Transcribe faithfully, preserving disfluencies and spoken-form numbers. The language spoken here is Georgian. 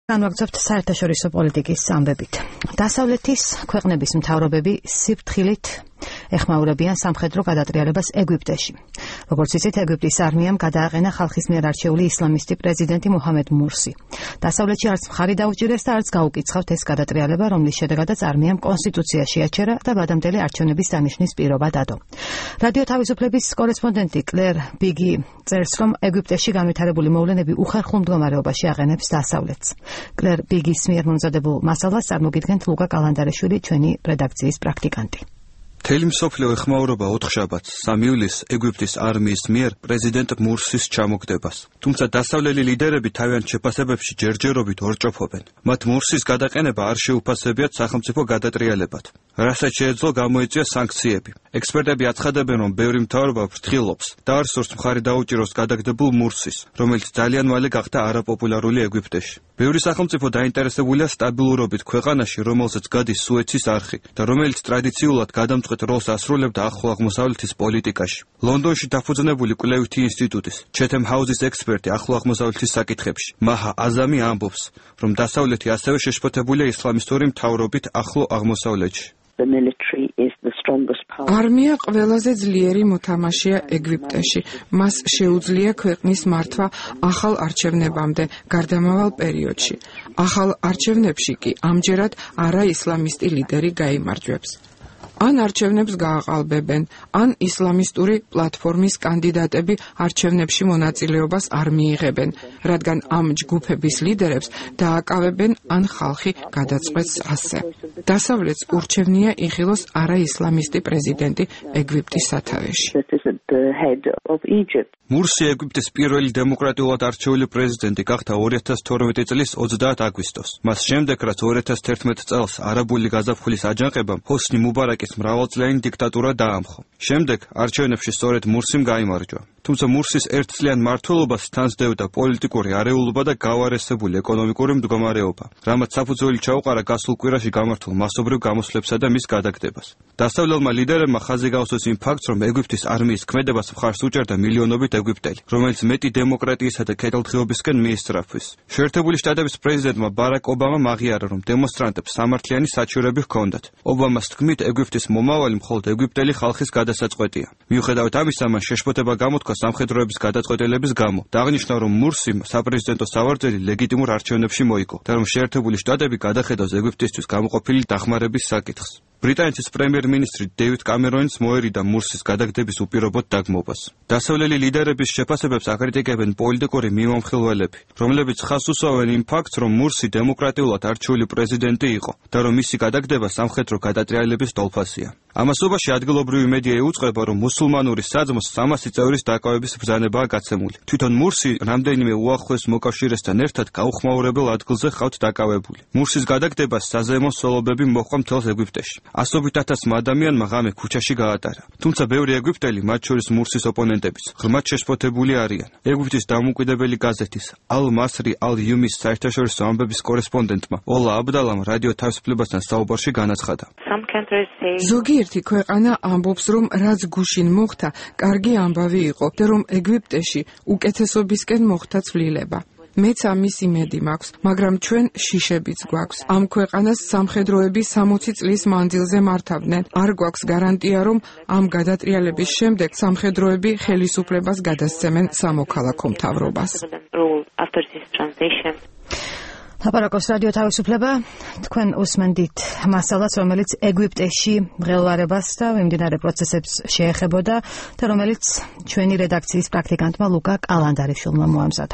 განვაგრძობთ საერთაშორისო პოლიტიკის ამბებით. დასავლეთის ქვეყნების მთავრობები სიფრთხილით ეხმაურებიან სამხედრო გადატრიალებას ეგვიპტეში. როგორც იცით, ეგვიპტის არმიამ გადააყენა ხალხის მიერ არჩეული ისლამისტი პრეზიდენტი მუჰამედ მურსი. დასავლეთში არც მხარი დაუჭირეს და არც გაუკიცხავთ ეს გადატრიალება, რომლის შედეგადაც არმიამ კონსტიტუციაში აჩერა და ვადამდელი არჩევნების დანიშნის პირობა დადო. რადიო თავისუფლების კორესპონდენტი კლერ ბიგი წერს, რომ ეგვიპტეში განვითარებული მოვლენები უხერხულ მდგომარეობაში აყენებს დასავლეთს. კლერ ბიგის მიერ მომზადებულ მასალას წარმოგიდგენთ ლუკა კალანდარეშვილი, ჩვენი რედაქციის პრაქტიკანტი. მთელი მსოფლიო ეხმაურება ოთხშაბათს, სამი ივლისს ეგვიპტის არმიის მიერ პრეზიდენტ მურსის ჩამოგდებას. თუმცა დასავლელი ლიდერები თავიანთ შეფასებებში ჯერჯერობით ორჭოფობენ. მათ მურსის გადაყენება არ შეუფასებიათ სახელმწიფო გადატრიალებად, რასაც შეეძლო გამოიწვია სანქციები. ექსპერტები აცხადებენ, რომ ბევრი მთავრობა ფრთხილობს და არ სურს მხარი დაუჭიროს გადაგდებულ მურსის, რომელიც ძალიან მალე გახდა არაპოპულარული ეგვიპტეში. ბევრი სახელმწიფო დაინტერესებულია სტაბილურობით ქვეყანაში, რომელზეც გადის სუეცის არხი და რომელიც ტრადიციულად გადამწყვეტ როლს ასრულებდა ახლო აღმოსავლეთის პოლიტიკაში. ლონდონში დაფუძნებული კვლევითი ინსტიტუტის ჩეთემ ჰაუსის ექსპერტი ახლო აღმოსავლეთის საკითხებში მაჰა აზამი ამბობს, რომ დასავლეთი ასევე შეშფოთებულია ისლამისტური მთავრობით ახლო აღმოსავლეთში. არმია ყველაზე ძლიერი მოთამაშეა ეგვიპტეში. მას შეუძლია ქვეყნის მართვა ახალ არჩევნებამდე გარდამავალ პერიოდში. ახალ არჩევნებში კი ამჯერად არა ისლამისტი ლიდერი გაიმარჯვებს. ან არჩევნებს გააყალბებენ, ან ისლამისტური პლატფორმის კანდიდატები არჩევნებში მონაწილეობას არ მიიღებენ, რადგან ამ ჯგუფების ლიდერებს დააკავებენ ან ხალხი გადაწყვეტს ასე. დასავლეთს ურჩევნია იხილოს არაისლამისტი პრეზიდენტი ეგვიპტის სათავეში. მურსი ეგვიპტის პირველი დემოკრატიულად არჩეული პრეზიდენტი გახდა ორი ათას თორმეტი წლის ოცდაათ აგვისტოს. მას შემდეგ, რაც ორი ათას თერთმეტ წელს არაბული გაზაფხულის აჯანყებამ ჰოსნი მუბარაკის მრავალწლიანი დიქტატურა დაამხო. შემდეგ არჩევნებში სწორედ მურსიმ გაიმარჯვა. თუმცა მურსის ერთწლიან მმართველობას თანსდევდა პოლიტიკური არეულობა და გავარესებული ეკონომიკური მდგომარეობა, რამაც საფუძველი ჩაუყარა გასულ კვირაში გამართულ მასობრივ გამოსვლებსა და მის გადაგდებას. დასავლელმა ლიდერებმა ხაზი გაუსვეს იმ ფაქტს, რომ ეგვიპტის არმიის ქმედებას მხარს უჭერდა მილიონობით ეგვიპტელი, რომელიც მეტი დემოკრატიისა და კეთილდღეობისკენ მიისწრაფვის. შეერთებული შტატების პრეზიდენტმა ბარაკ ობამამ აღიარა, რომ დემონსტრანტებს სამართლიანი საჩივრები ჰქონდათ. ობამას თქმით, ეგვიპტის მომავალი მხოლოდ ეგვიპტელი ხალხის გადასაწყვეტია. მიუხედავად ამისა, მან შეშფოთება გამოთქვა სამხედროების გადაწყვეტილების გამო და აღნიშნა, რომ მურსიმ საპრეზიდენტო სავარძელი ლეგიტიმურ არჩევნებში მოიგო და რომ შეერთებული შტატები გადახედავს ეგვიპტისთვის გამოყოფილი დახმარების საკითხს. ბრიტანეთის პრემიერ-მინისტრი დეივიდ კამერონის მოერიდა მურსის გადაგდების უპირობოდ დაგმობას. დასავლელი ლიდერების შეფასებებს აკრიტიკებენ პოლიტიკური მიმომხილველები, რომლებიც ხაზს უსვამენ იმ ფაქტს, რომ მურსი დემოკრატიულად არჩეული პრეზიდენტი იყო და რომ მისი გადაგდება სამხედრო გადატრიალების თვალსაზრისით. ამასობაში ადგილობრივი მედია იუწყება, რომ მუსულმანური საძმოს სამასი წევრის დაკავების ბრძანებაა გაცემული. თვითონ მურსი რამდენიმე უახლოეს მოკავშირესთან ერთად გაუხმაურებელ ადგილზე ხავთ დაკავებული. მურსის გადაგდებას საზეიმო სოლობები მოჰყვა მთელს ეგვიპტეში. ასობით ათასმა ადამიანმა ღამე ქუჩაში გაატარა. თუმცა ბევრი ეგვიპტელი, მათ შორის მურსის ოპონენტებიც, ღრმად შეშფოთებული არიან. ეგვიპტის დამოუკიდებელი გაზეთის ალ-მასრი ალ-იუმის საერთაშორისო ამბების კორესპონდენტმა ოლა აბდალამ რადიო თავისუფლებასთან საუბარში განაცხადა. ზოგიერთი ქვეყანა ამბობს, რომ რაც გუშინ მოხდა, კარგი ამბავი იყო და რომ ეგვიპტეში უკეთესობისკენ მოხდა ცვლილება. მეც ამის იმედი მაქვს, მაგრამ ჩვენ შიშებიც გვაქვს. ამ ქვეყანას სამხედროები სამოცი წლის მანძილზე მართავდნენ. არ გვაქვს გარანტია, რომ ამ გადატრიალების შემდეგ სამხედროები ხელისუფლებას გადასცემენ სამოქალაქო მთავრობას. ლაპარაკობს რადიო თავისუფლება. თქვენ უსმენთ მასალას, რომელიც ეგვიპტეში მღელვარებას და მიმდინარე პროცესებს შეეხებოდა და რომელიც ჩვენი რედაქციის პრაქტიკანტმა ლუკა კალანდარიშვილმა მოამზადა.